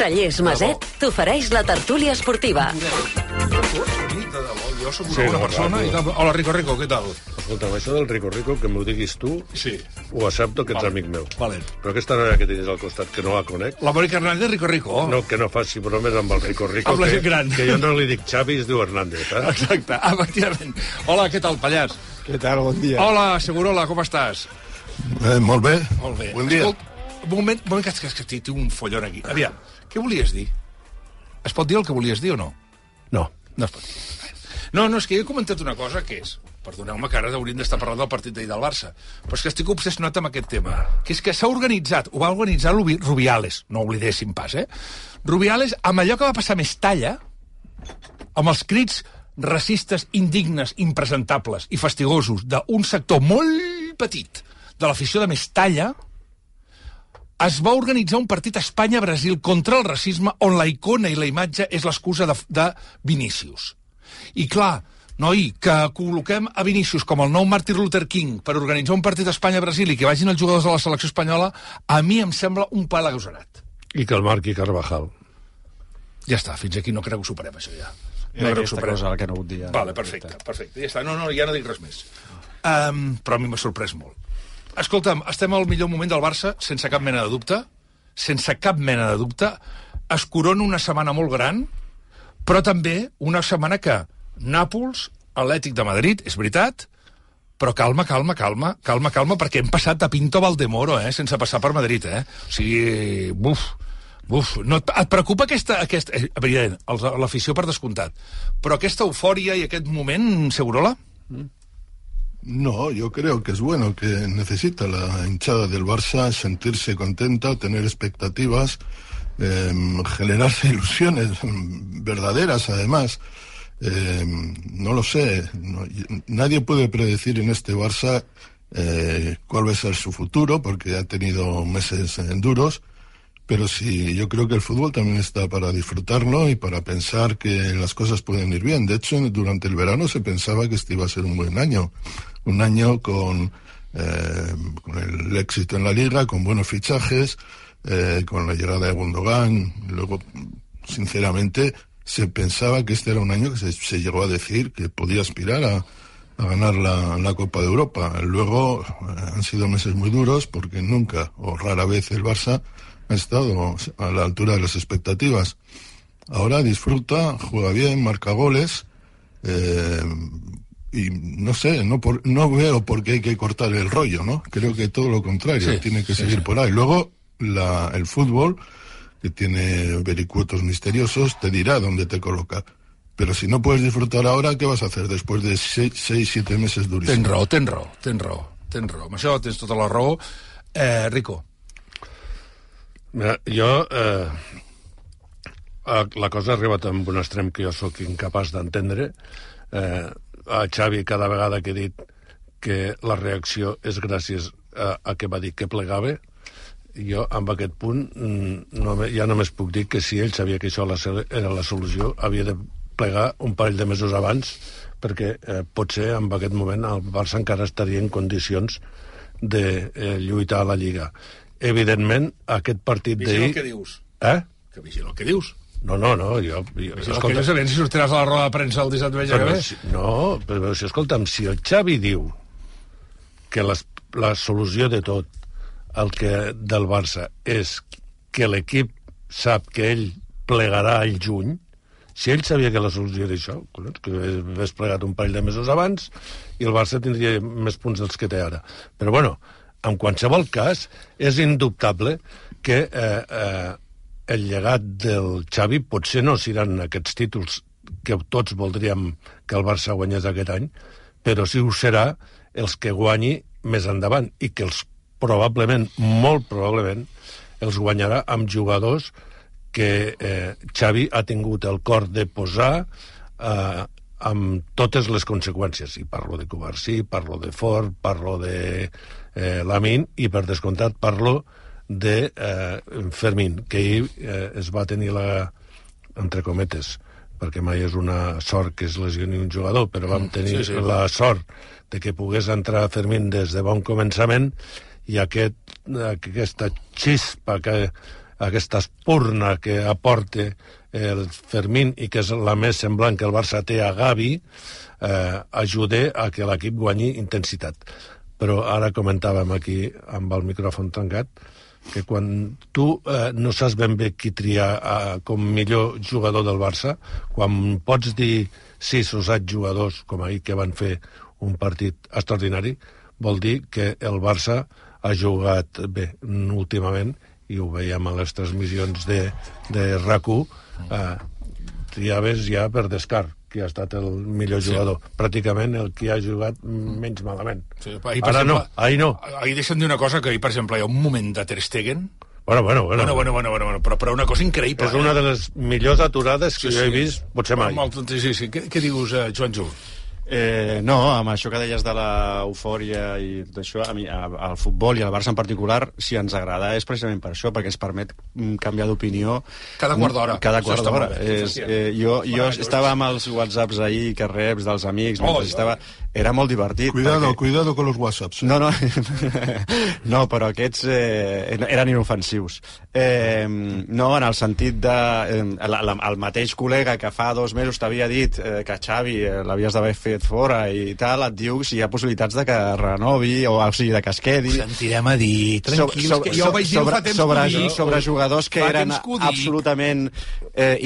Cellers Maset t'ofereix la tertúlia esportiva. Jo soc una bona persona i tal. Hola, Rico, què tal? Escolta, això del Rico, que m'ho diguis tu, sí, ho accepto, que ets amic meu. Valent. Però aquesta noia que tens al costat, que no la conec... La Mònica Hernández, Rico. No, que no faci bromes amb el Rico, amb la gent gran. Que jo no li dic Xavi, es diu Hernández, eh? Exacte, efectivament. Hola, què tal, Pallars? Què tal, bon dia. Hola, Segurola, com estàs? Molt bé. Molt bé. Bon dia. Escolta, un moment que tinc un follon aquí. Aviam, què volies dir? Es pot dir el que volies dir o no? No. No es pot dir. No, és que jo he comentat una cosa que és... Perdoneu-me que ara hauríem d'estar parlant del partit d'ahir del Barça, però és que estic obsessionat amb aquest tema, que és que s'ha organitzat, ho va organitzar Rubiales, no oblidéssim pas, Rubiales, amb allò que va passar a Mestalla, amb els crits racistes, indignes, impresentables i fastigosos d'un sector molt petit de l'afició de Mestalla, es va organitzar un partit Espanya-Brasil contra el racisme on la icona i la imatge és l'excusa de Vinícius. I clar, noi, que col·loquem a Vinícius com el nou Martin Luther King per organitzar un partit Espanya-Brasil i que vagin els jugadors de la selecció espanyola, a mi em sembla un pal agosarat. I que el marqui Carvajal. Ja està, fins aquí no crec que ho superem, això ja. No crec que ho superem. Cosa que no vull dir. Vale, perfecte, ja està. No, ja no dic res més. Però a mi m'ha sorprès molt. Escolta'm, estem al millor moment del Barça, sense cap mena de dubte. Es corona una setmana molt gran, però també una setmana que Nàpols, Atlètic de Madrid, és veritat, però calma, perquè hem passat de Pinto a Valdemoro, sense passar per Madrid, O sigui, no, et preocupa aquesta evident, l'afició per descomptat, però aquesta eufòria i aquest moment, Segurola? No, yo creo que es bueno, que necesita la hinchada del Barça sentirse contenta, tener expectativas, generarse ilusiones verdaderas, además. No lo sé, nadie puede predecir en este Barça cuál va a ser su futuro, porque ha tenido meses duros, pero sí, yo creo que el fútbol también está para disfrutarlo y para pensar que las cosas pueden ir bien. De hecho, durante el verano se pensaba que este iba a ser un buen año, un año con el éxito en la Liga, con buenos fichajes, con la llegada de Gundogan. Luego, sinceramente, se pensaba que este era un año que se llegó a decir que podía aspirar a ganar la Copa de Europa. Luego han sido meses muy duros porque nunca o rara vez el Barça ha estado a la altura de las expectativas. Ahora disfruta, juega bien, marca goles, y no sé, no veo por qué hay que cortar el rollo, ¿no? Creo que todo lo contrario, sí, tiene que seguir por ahí. Luego el fútbol, que tiene vericuetos misteriosos, te dirá dónde te coloca. Pero si no puedes disfrutar ahora, ¿qué vas a hacer después de 6-7 meses durísimos? Tens raó. Amb això tens tota la raó. Rico. Mira, jo... la cosa ha arribat amb un extrem que jo sóc incapaç d'entendre. A Xavi, cada vegada que he dit que la reacció és gràcies a que va dir que plegava, jo, amb aquest punt, ja només puc dir que si ell sabia que això era la solució, havia de plegar un parell de mesos abans, perquè potser en aquest moment el Barça encara estaria en condicions de lluitar a la Lliga. Evidentment, aquest partit d'ahir... Vigila el que dius. Que vigila el que dius. No, jo escolta, no sabem si sortiràs a la roda de premsa el 17 de gener. Però escolta'm, si el Xavi diu que la solució de tot del Barça és que l'equip sap que ell plegarà al juny, si ell sabia que la solució era això, que hagués plegat un parell de mesos abans i el Barça tindria més punts dels que té ara. Però bueno, en qualsevol cas, és indubtable que el llegat del Xavi potser no seran aquests títols que tots voldríem que el Barça guanyés aquest any, però sí ho serà els que guanyi més endavant i que probablement, molt probablement, els guanyarà amb jugadors que Xavi ha tingut el cor de posar amb totes les conseqüències. I parlo de Cubarsí, parlo de Ford, parlo de Lamine i, per descomptat, parlo de Fermín, que ahir es va tenir entre cometes, perquè mai és una sort que es lesioni un jugador, però vam tenir la sort de que pogués entrar Fermín des de bon començament, i aquesta xispa que aquesta espurna que aporta el Fermín i que és la més semblant que el Barça té a Gavi, ajuda a que l'equip guanyi intensitat. Però ara comentàvem aquí amb el micròfon tancat que quan tu no saps ben bé qui triar com millor jugador del Barça, quan pots dir 6 o 7 jugadors com ahir que van fer un partit extraordinari, vol dir que el Barça ha jugat bé últimament, i ho veiem a les transmissions de RAC1, triaves ja per descart qui ha estat el millor jugador. Pràcticament el que ha jugat menys malament. Sí, ara no, ahir no. Ahir deixa'm dir una cosa, que ahir, per exemple, hi ha un moment de Ter Stegen... Bueno, però una cosa increïble. És una de les millors aturades que jo he vist, potser mai. Sí. Què dius, Joan Ju? No, amb això que deies de l'eufòria i tot això, a mi al futbol i al Barça en particular, si ens agrada és precisament per això, perquè ens permet canviar d'opinió cada quart d'hora. Jo estava amb els whatsapps ahir que reps dels amics, era molt divertit. Cuidado con los whatsapps. No, però aquests eren inofensius. No, en el sentit de el mateix col·lega que fa 2 mesos t'havia dit que Xavi l'havies d'haver fet fora i tal, et diu si hi ha possibilitats de que renovi, o sigui, de que es quedi. Ho sentirem a dir, tranquils, que jo ho vaig dir fa temps que dic. Sobre jugadors que eren absolutament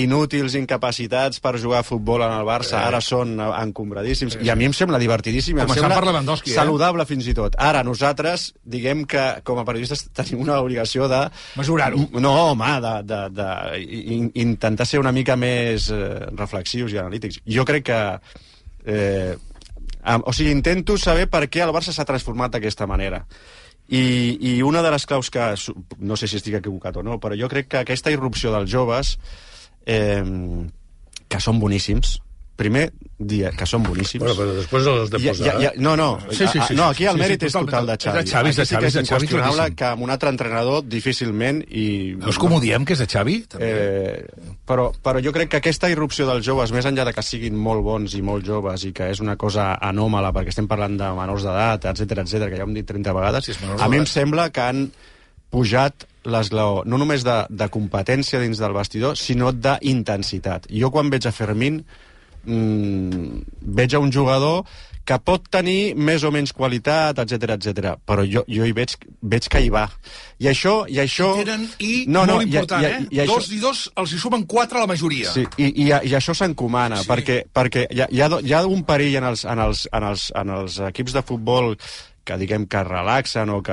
inútils, incapacitats per jugar a futbol en el Barça, ara són encombradíssims, i a mi em sembla divertidíssim, em sembla saludable fins i tot. Ara, nosaltres, diguem que com a periodistes tenim una obligació de... mesurar-ho. No, home, intentar ser una mica més reflexius i analítics. Jo crec que o sigui, intento saber per què el Barça s'ha transformat d'aquesta manera. I una de les claus que... no sé si estic equivocat o no, però jo crec que aquesta irrupció dels joves, que són boníssims, primer dia que són boníssims... Bueno, però després els de posar... No, aquí el mèrit és total de Xavi. És de Xavi, és inqüestionable que amb un altre entrenador difícilment... No és com ho diem, que és de Xavi? Però jo crec que aquesta irrupció dels joves, més enllà de que siguin molt bons i molt joves i que és una cosa anòmala, perquè estem parlant de menors d'edat, etc, que ja ho hem dit 30 vegades, a mi em sembla que han pujat l'esglaó, no només de competència dins del vestidor, sinó d'intensitat. Jo quan veig a Fermín veig a un jugador que pot tenir més o menys qualitat, etc, però jo hi veig que hi va. I això... molt important, 2 i 2 els hi sumen 4 a la majoria. Sí, i això s'encomana, perquè hi ha un perill en els equips de futbol que diguem que relaxen o que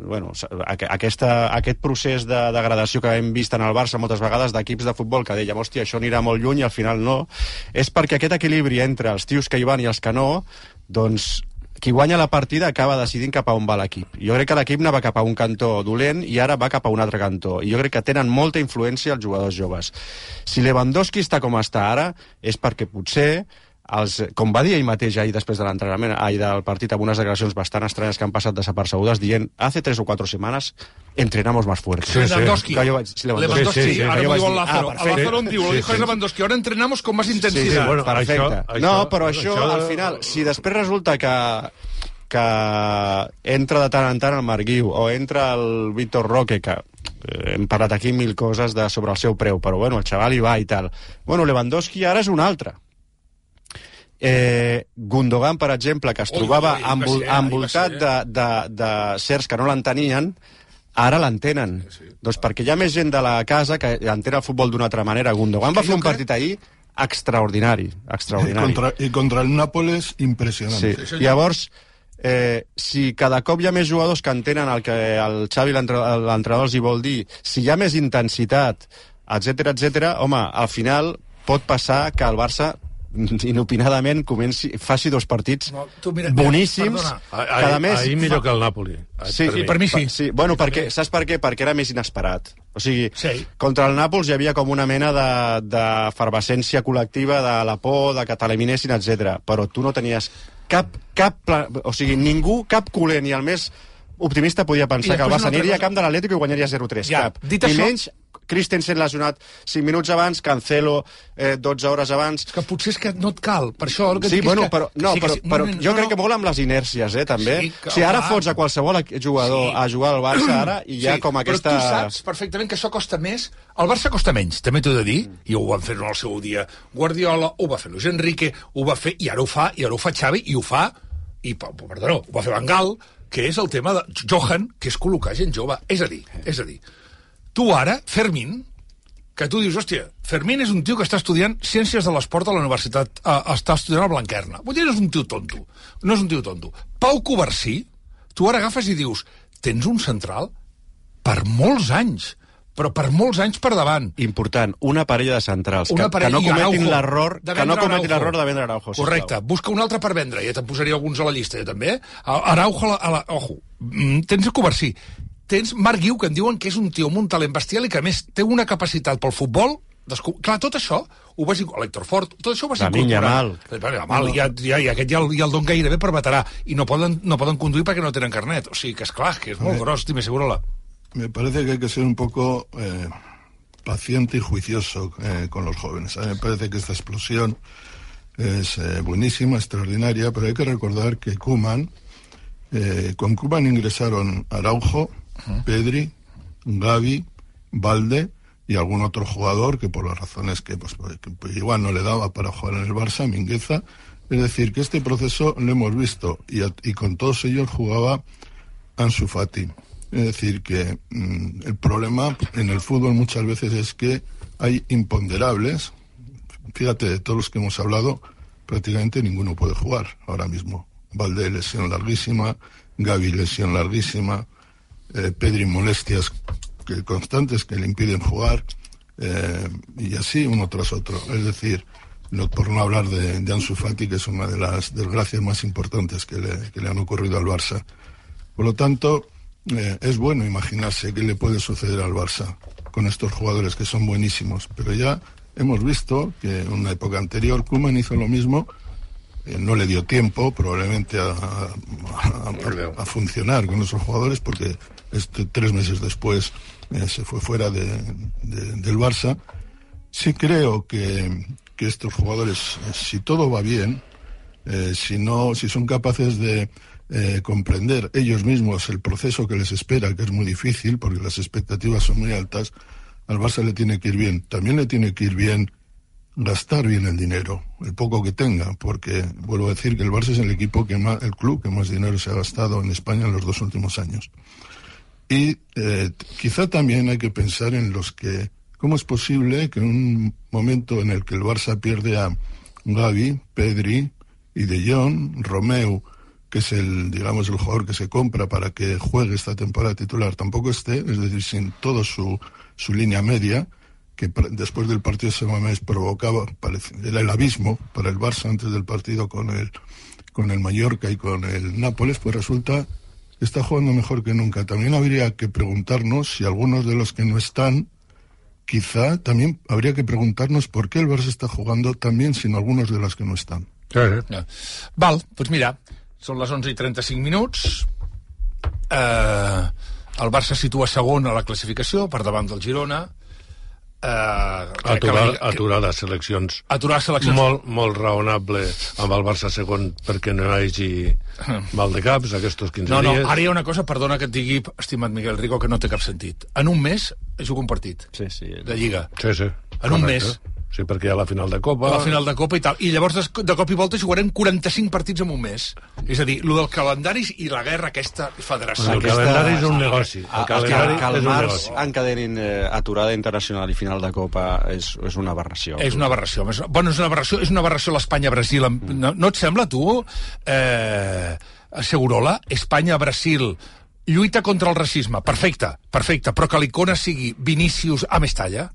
bueno, aquest procés de degradació que hem vist en el Barça moltes vegades d'equips de futbol que dèiem, hòstia, això anirà molt lluny i al final no, és perquè aquest equilibri entre els tios que hi van i els que no, doncs qui guanya la partida acaba decidint cap a on va l'equip. Jo crec que l'equip anava cap a un cantó dolent i ara va cap a un altre cantó. I jo crec que tenen molta influència els jugadors joves. Si Lewandowski està com està ara, és perquè potser com va dir ell mateix ahir després de l'entrenament, ahir del partit, amb unes declaracions bastant estranyes que han passat desapercebudes, dient, hace 3 o 4 semanas entrenamos más fuerte. Lewandowski. Lewandowski. Ara m'ho diu el Lázaro. El Lázaro em diu, lo dijo Lewandowski, ahora entrenamos con más intensidad. Sí, perfecte. No, però això, al final, si després resulta que entra de tant en tant el Marc Guiu, o entra el Víctor Roque, que hem parlat aquí 1000 coses sobre el seu preu, però bueno, el xaval hi va i tal. Bueno, Lewandowski ara és un altre. Gundogan, per exemple, que es trobava envoltat de certs que no l'entenien, ara l'entenen. Doncs perquè hi ha més gent de la casa que entén el futbol d'una altra manera. Gundogan va fer un partit ahir extraordinari. I contra el Nàpoles, impressionant. Sí. Llavors, si cada cop hi ha més jugadors que entenen el que el Xavi, l'entrenador, els hi vol dir, si hi ha més intensitat, etc, home, al final pot passar que el Barça inopinadament faci 2 partits boníssims, cada mes... Ahir millor que el Nàpoli. Sí, per mi sí. Bueno, saps per què? Perquè era més inesperat. O sigui, contra el Nàpols hi havia com una mena d'efervescència col·lectiva, de la por, de que t'eliminessin, etc. Però tu no tenies o sigui, ningú, cap culer, ni el més optimista podia pensar que el Barça aniria a camp de l'Atlético i guanyaria 0-3. Cap. Ni menys Christensen lesionat 5 minuts abans, Cancelo 12 hores abans... És que potser és que no et cal, per això... El que Sí, dic bueno, és que... però jo crec que molt amb les inèrcies, també. Sí, que, si ara fots a qualsevol jugador a jugar al Barça ara, i hi ha com aquesta... Però tu saps perfectament que això costa més. El Barça costa menys, també t'ho he de dir, i ho van fer en el seu dia Guardiola, ho va fer Luis Enrique, ho va fer, i ara ho fa Xavi, i ho fa, ho va fer Van Gaal, que és el tema de Johan, que és col·locar gent jove. És a dir, tu ara, Fermín, que tu dius, hòstia, Fermín és un tio que està estudiant Ciències de l'Esport a la universitat, està estudiant a Blanquerna. Vull dir, no és un tio tonto. Pau Covarsí, tu ara agafes i dius, tens un central per molts anys, però per molts anys per davant. Important, una parella de centrals, que no cometin l'error de vendre Araujo. Correcte, busca un altre per vendre, ja te'n posaria alguns a la llista, jo també. Araujo, ojo, tens a Covarsí, tens Marc Guiu, que en diuen que és un tio amb un talent bestial i que, a més, té una capacitat pel futbol. Clar, tot això ho vas incorporar. L'Héctor Fort, tot això ho vas incorporar. Yamal, i aquest ja el don gairebé per veterà. I no poden conduir perquè no tenen carnet. O sigui, que és clar, que és molt gros, Dime, Segurola. Me parece que hay que ser un poco paciente y juicioso con los jóvenes. A mí me parece que esta explosión es buenísima, extraordinaria, pero hay que recordar que con Koeman ingresaron Araujo, Pedri, Gavi, Valde y algún otro jugador que por las razones que pues igual no le daba para jugar en el Barça, Mingueza. Es decir, que este proceso lo hemos visto y con todos ellos jugaba Ansu Fati. Es decir, que el problema en el fútbol muchas veces es que hay imponderables. Fíjate, de todos los que hemos hablado, prácticamente ninguno puede jugar ahora mismo. Valde, lesión larguísima, Gavi, lesión larguísima, Pedri, molestias constantes que le impiden jugar, y así uno tras otro. Es decir, por no hablar de Ansu Fati, que es una de las desgracias más importantes que le han ocurrido al Barça. Por lo tanto, es bueno imaginarse qué le puede suceder al Barça con estos jugadores que son buenísimos, pero ya hemos visto que en una época anterior Koeman hizo lo mismo. No le dio tiempo probablemente a funcionar con esos jugadores, porque 3 meses después se fue fuera del Barça. Sí creo que estos jugadores, si todo va bien, si son capaces de comprender ellos mismos el proceso que les espera, que es muy difícil porque las expectativas son muy altas, al Barça le tiene que ir bien. También le tiene que ir bien gastar bien el dinero, el poco que tenga, porque vuelvo a decir que el Barça es el club que más dinero se ha gastado en España en los 2 últimos años. Y quizá también hay que pensar en cómo es posible que en un momento en el que el Barça pierde a Gavi, Pedri y De Jong, Romeu, que es el jugador que se compra para que juegue esta temporada titular, tampoco esté, es decir, sin todo su línea media, que después del partido de Samamés provocaba, era el abismo para el Barça antes del partido con el Mallorca y con el Nápoles, pues resulta que está jugando mejor que nunca. También habría que preguntarnos si algunos de los que no están, quizá también habría que preguntarnos por qué el Barça está jugando tan bien sin algunos de los que no están. Val, doncs mira, són les 11:35 minuts. El Barça situa segon a la classificació, per davant del Girona. Aturar les seleccions. Molt raonable amb el Barça segon perquè no hi hagi mal de caps aquests 15 dies. No, ara hi ha una cosa, perdona que et digui, estimat Miguel Rico, que no té cap sentit. En un mes juga un partit de Lliga. Sí. En un mes. Sí, perquè hi ha la final de Copa. La final de Copa i tal. I llavors, de cop i volta, jugarem 45 partits en un mes. És a dir, el dels calendaris i la guerra aquesta federació. El calendari és un negoci. Que el març encadenin aturada internacional i final de Copa és una aberració. És una aberració. Bueno, és una aberració l'Espanya-Brasil. No et sembla, tu, Segurola? Espanya-Brasil, lluita contra el racisme. Perfecte, però que l'icona sigui Vinícius a Mestalla?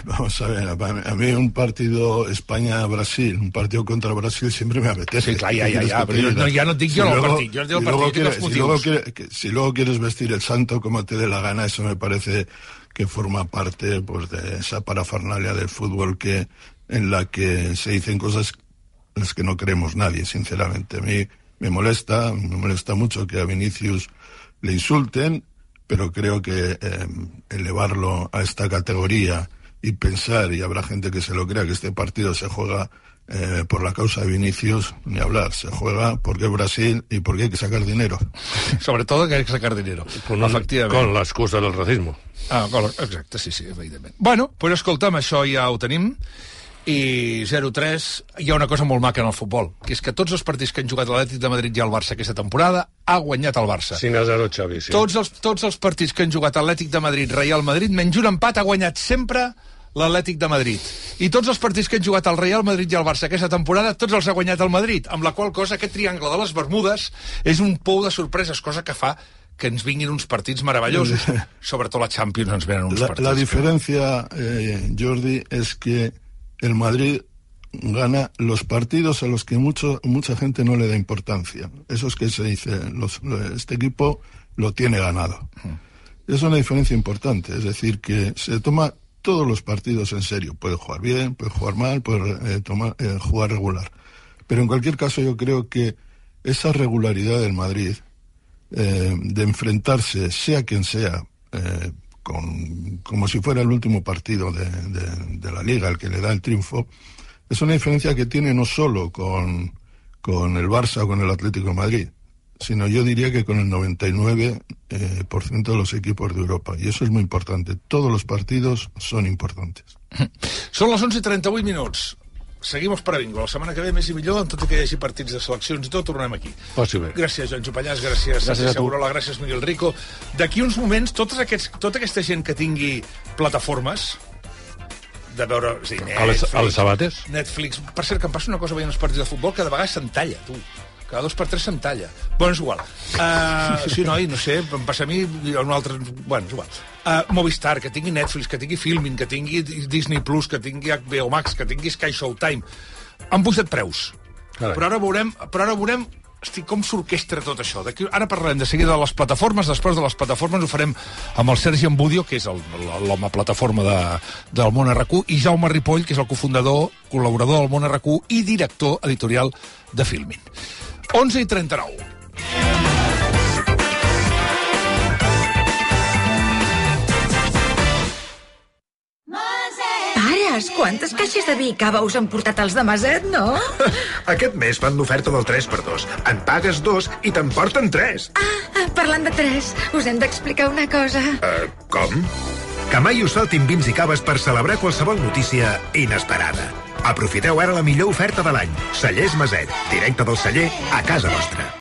Vamos a ver, a mí un partido España-Brasil, un partido contra Brasil siempre me apetece. Sí, clar, ja, però ja no et dic jo el partit, jo et dic el partit i els motius. Si luego quieres vestir el santo como te dé la gana, eso me parece que forma parte pues de esa parafernalia del fútbol en la que se dicen cosas en las que no creemos nadie, sinceramente. A mí me molesta mucho que a Vinicius le insulten. pero creo que elevarlo a esta categoría y pensar, y habrá gente que se lo crea, que este partido se juega por la causa de Vinicius, ni hablar, se juega porque es Brasil y porque hay que sacar dinero. Sobre todo que hay que sacar dinero. Efectivament. Con l'excusa del racismo. Exacte, sí, evidentment. Bueno, doncs escolta'm, això ja ho tenim, i 0-3, hi ha una cosa molt maca en el futbol, que és que tots els partits que han jugat l'Atlètic de Madrid i el Barça aquesta temporada ha guanyat el Barça. 5-0, Xavi, sí. Tots els partits que han jugat Atlètic de Madrid, Real Madrid, menys un empat, ha guanyat sempre l'Atlètic de Madrid. I tots els partits que han jugat el Real Madrid i el Barça aquesta temporada, tots els ha guanyat el Madrid, amb la qual cosa aquest triangle de les Bermudes és un pou de sorpreses, cosa que fa que ens vinguin uns partits meravellosos. Sobretot la Champions ens venen uns partits. La diferencia, Jordi, es que el Madrid gana los partidos a los que mucha gente no le da importancia. Eso es que se dice, este equipo lo tiene ganado. Es una diferencia importante, es decir, que se toma todos los partidos en serio. Puede jugar bien, puede jugar mal, puede jugar regular. Pero en cualquier caso yo creo que esa regularidad del Madrid, de enfrentarse, sea quien sea, como si fuera el último partido de la Liga, el que le da el triunfo, es una diferencia que tiene no solo con el Barça o con el Atlético de Madrid, sino yo diría que con el 99% de los equipos de Europa. Y eso es muy importante. Todos los partidos son importantes. Són les 11:38. Seguim els Paravingo. La setmana que ve més i millor, en tot i que hi hagi partits de seleccions i tot, tornem aquí. Passi bé. Gràcies, Joan Jopallàs, gràcies Segurola, gràcies, Miguel Rico. D'aquí uns moments, tota aquesta gent que tingui plataformes de veure... Sí, Netflix, a les sabates? Netflix. Per cert, que em passa una cosa veient els partits de futbol, que de vegades s'entalla, tu. Cada 2 per 3 s'entalla. Bueno, és igual. Sí, noi, no sé, em passa a mi un altre... Bueno, és igual. Movistar, que tingui Netflix, que tingui Filmin, que tingui Disney Plus, que tingui HBO Max, que tingui Sky Showtime. Han pujat preus. Carai. Però ara veurem com s'orquestra tot això. Ara parlarem de seguida de les plataformes, després de les plataformes ho farem amb el Sergi Ambudio, que és l'home plataforma del Món RQ, i Jaume Ripoll, que és el cofundador, col·laborador del Món RQ i director editorial de Filmin. 11:39. Pares, quantes caixes de vi i cava us han portat els de Maset, no? Aquest mes fan l'oferta del 3x2. En pagues 2 i te'n porten 3. Parlant de 3, us hem d'explicar una cosa. Com? Que mai us faltin vins i caves per celebrar qualsevol notícia inesperada. Aprofiteu ara la millor oferta de l'any. Cellers Maset, directe del celler a casa vostra.